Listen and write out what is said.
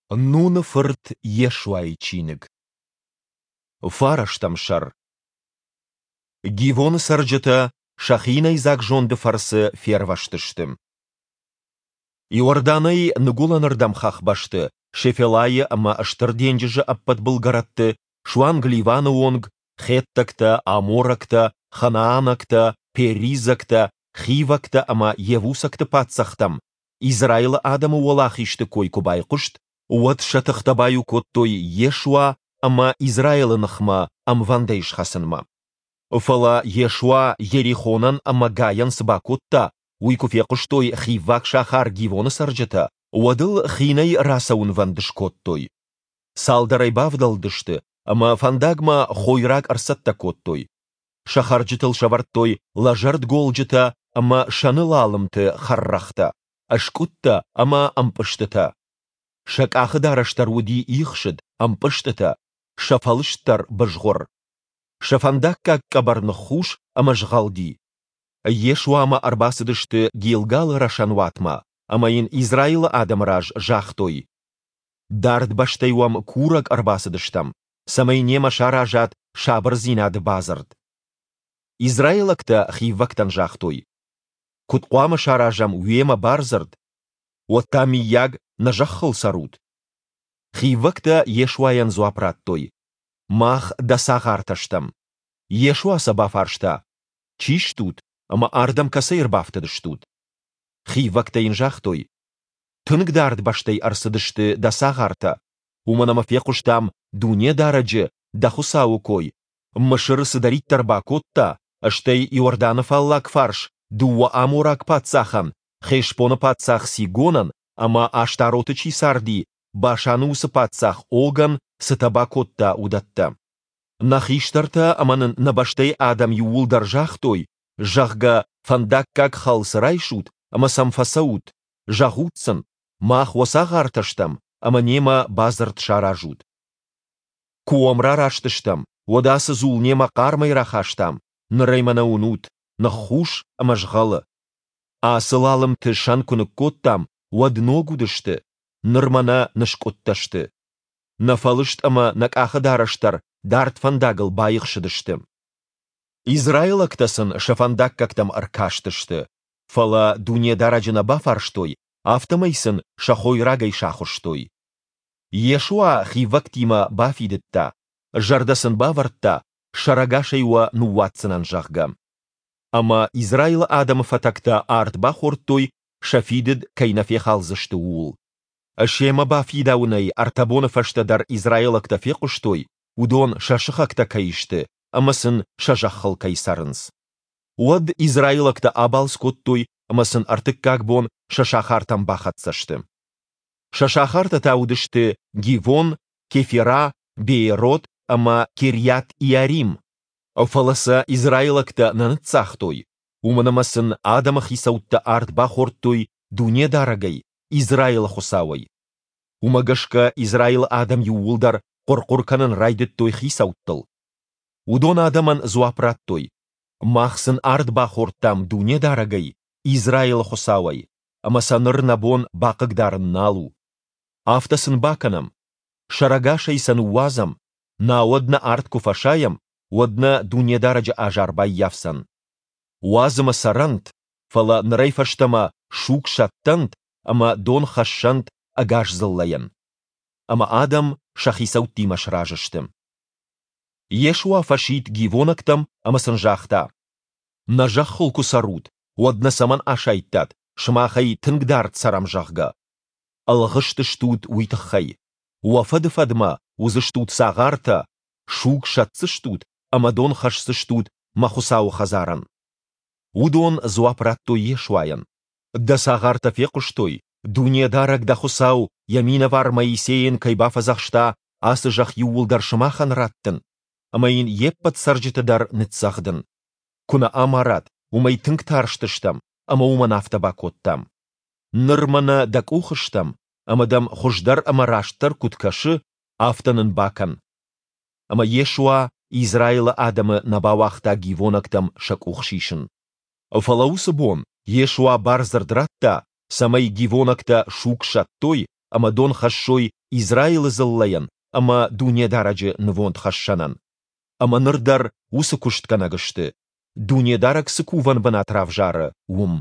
Нуны фырт Йешуайы чиныг. Фарӕстӕм сӕр. Гивоны цӕрджытӕ сӕ хинӕйдзаг зонды фӕрцы фервӕзтысты. Иорданӕй ныгуылӕнырдӕм хӕхбӕсты, Шефелайы ӕмӕ Стыр денджызы ӕппӕт былгӕрӕтты, суанг Ливаны онг, хеттӕгтӕ, аморӕгтӕ, ханаанӕгтӕ, перизӕгтӕ, хивӕгтӕ ӕмӕ йевусӕгты паддзӕхтӕм Израилы адӕмы уӕлахизты кой куы байхъуыст, уӕд сӕ тыхтӕ баиу кодтой Йешуа ӕмӕ Израилы ныхмӕ ӕмвӕндӕй схӕцынмӕ. Фӕлӕ Йешуа Йерихонӕн ӕмӕ Гайӕн цы бакодта, уый куы фехъуыстой хивваг сахар Гивоны цӕрджытӕ, уӕд ыл хинӕй рацӕуынвӕнд скодтой. Цалдӕрӕй бавдӕлдысты ӕмӕ фӕндагмӕ хойраг ӕрцӕттӕ кодтой. Сӕ хӕрджытыл сӕвӕрдтой лӕзӕрд голджытӕ ӕмӕ сӕны лалымты хӕррӕгътӕ, ӕскъуыдтӕ ӕмӕ ӕмпъызтытӕ. Сӕ къахыдарӕс дӕр уыди ихсыд, ӕмпъызтытӕ, сӕ фӕлыст дӕр бызгъуыр. Сӕ фӕндаггаг къӕбӕр ныххус ӕмӕ згъӕлди. Йешуамӕ ӕрбацыдысты Гилгалы рӕсӕнуатмӕ ӕмӕ йын Израилы адӕмы раз загътой: Дард бӕстӕй уӕм курӕг ӕрбацыдыстӕм, цӕмӕй немӕ саразат сабырдзинады бадзырд. Израилӕгтӕ хиввӕгтӕн загътой: Куыд хъуамӕ саразӕм уемӕ бардзырд? Уӕд та, мыййаг, нӕ зӕххыл цӕрут? Хиввӕгтӕ Йешуайӕн дзуапп радтой: Мах дӕ цагъартӕ стӕм. Йешуа сӕ бафарста: Чи стут ӕмӕ ардӕм кӕцӕй ӕрбафтыдыстут? Хиввӕгтӕ йын загътой: Тынг дард бӕстӕй ӕрцыдысты дӕ цагъартӕ, уымӕн ӕмӕ фехъуыстам Дунедарӕджы, дӕ Хуыцауы кой, Мысыры цыдӕриддӕр бакодта, стӕй Иорданы фаллаг фарс дыууӕ амораг паддзахӕн, Хешбоны паддзах Сигонӕн ӕмӕ Аштароты чи царди, Башаны уыцы паддзах Огӕн цытӕ бакодта, уыдӕттӕ. Нӕ хистӕртӕ ӕмӕ нын нӕ бӕстӕйы адӕм иууылдӕр загътой, зӕгъгӕ, фӕндаггаг хӕлц райсут ӕмӕ сӕм фӕцӕут, зӕгъут сын, мах уӕ цагъартӕ стӕм ӕмӕ немӕ бадзырд саразут. Куы уӕм рараст стӕм, уӕд ацы дзул немӕ хъармӕй рахастам, ныр ӕй мӕнӕ уынут, ныххус ӕмӕ згъӕлы. Ацы лалымты сӕн куы ныккодтам, уӕд ног уыдысты, ныр мӕнӕ ныскъуыдтӕ сты. Нӕ фӕлыст ӕмӕ нӕ къахыдарӕс дӕр дард фӕндагыл баихсыдысты. Израилӕгтӕ сын сӕ фӕндаггӕгтӕм ӕркастысты, фӕлӕ Дунедарӕджы нӕ бафарстой, афтӕмӕй сын сӕ хойрагӕй сахуыстой. Йешуа хивӕгтимӕ бафидыдта, зӕрдӕ сын бавӕрдта, сӕрӕгасӕй уӕ ныууадздзынӕн, зӕгъгӕ. Ӕмӕ Израилы адӕмы фӕтӕгтӕ ард бахордтой, сӕ фидыд кӕй нӕ фехалдзысты, ууыл. Семӕ бафидауынӕй ӕртӕ боны фӕстӕ дӕр израилӕгтӕ фехъуыстой, уыдон сӕ сыхӕгтӕ кӕй сты ӕмӕ сын сӕ зӕххыл кӕй цӕрынц. Уӕд израилӕгтӕ абалц кодтой ӕмӕ сын ӕртыккаг бон сӕ сахартӕм бахӕццӕ сты. Сӕ сахартӕ та уыдысты Гивон, Кефира, Беерот ӕмӕ Кирйат-Иарим. Фӕлӕ сӕ израилӕгтӕ нӕ ныццагътой, уымӕн ӕмӕ сын адӕмы хицӕуттӕ ард бахордтой Дунедарӕгӕй, Израилы Хуыцауӕй. Уымӕ гӕсгӕ Израилы адӕм иууылдӕр хъуыр-хъуыр кӕнын райдыдтой хицӕуттыл. Уыдон адӕмӕн дзуапп радтой: Мах сын ард бахордтам Дунедарӕгӕй, Израилы Хуыцауӕй, ӕмӕ сӕ ныр нӕ бон бахъыгдарын нал у. Афтӕ сын бакӕнӕм: сӕрӕгасӕй сӕ ныууадзӕм, науӕд нӕ ард куы фӕсайӕм, уӕд нӕ Дунедарӕджы азар баййафдзӕн. Уадз ӕмӕ цӕрӕнт, фӕлӕ нырӕй фӕстӕмӕ суг сӕттӕнт ӕмӕ дон хӕссӕнт ӕгас дзыллӕйӕн. Ӕмӕ адӕм сӕ хицӕуттимӕ сразы сты. Йешуа фӕсидт гивонӕгтӕм ӕмӕ сын загъта: Нӕ зӕххыл куы цӕрут, уӕд нӕ цӕмӕн асайдтат, сымахӕй тынг дард цӕрӕм, зӕгъгӕ? Ӕлгъыст стут уый тыххӕй. Уӕ фӕды-фӕдмӕ уыдзыстут цагъартӕ, суг сӕтдзыстут ӕмӕ дон хӕсдзыстут мӕ Хуыцауы хӕдзарӕн. Уыдон дзуапп радтой Йешуайӕн: Дӕ цагъартӕ фехъуыстой, Дунедарӕг дӕ Хуыцау йӕ минӕвар Моисейӕн кӕй бафӕдзӕхста ацы зӕхх иууылдӕр сымахӕн раттын, ӕмӕ йын йе ппӕт цӕрджыты дӕр ныццӕгъдын. Куы нӕ амарат, уымӕй тынг тарстыстӕм ӕмӕ уымӕн афтӕ бакодтам. Ныр мӕнӕ дӕ къухы стӕм, ӕмӕ дӕм хуыздӕр ӕмӕ растдӕр куыд кӕсы, афтӕ нын бакӕн. Ӕмӕ Йешуа Израилы адӕмы нӕ бауагъта гивонӕгтӕм сӕ къух сисын. Фӕлӕ уыцы бон Йешуа бардзырд радта, цӕмӕй гивонӕгтӕ суг сӕттой. ӕмӕ дон хӕссой Израилы дзыллӕйӕн ӕмӕ Дунедарӕджы нывондхӕссӕнӕн. Ӕмӕ ныр дӕр уыцы куыстгӕнӕг сты, Дунедарӕг цы кувӕн бынат равзары, уым.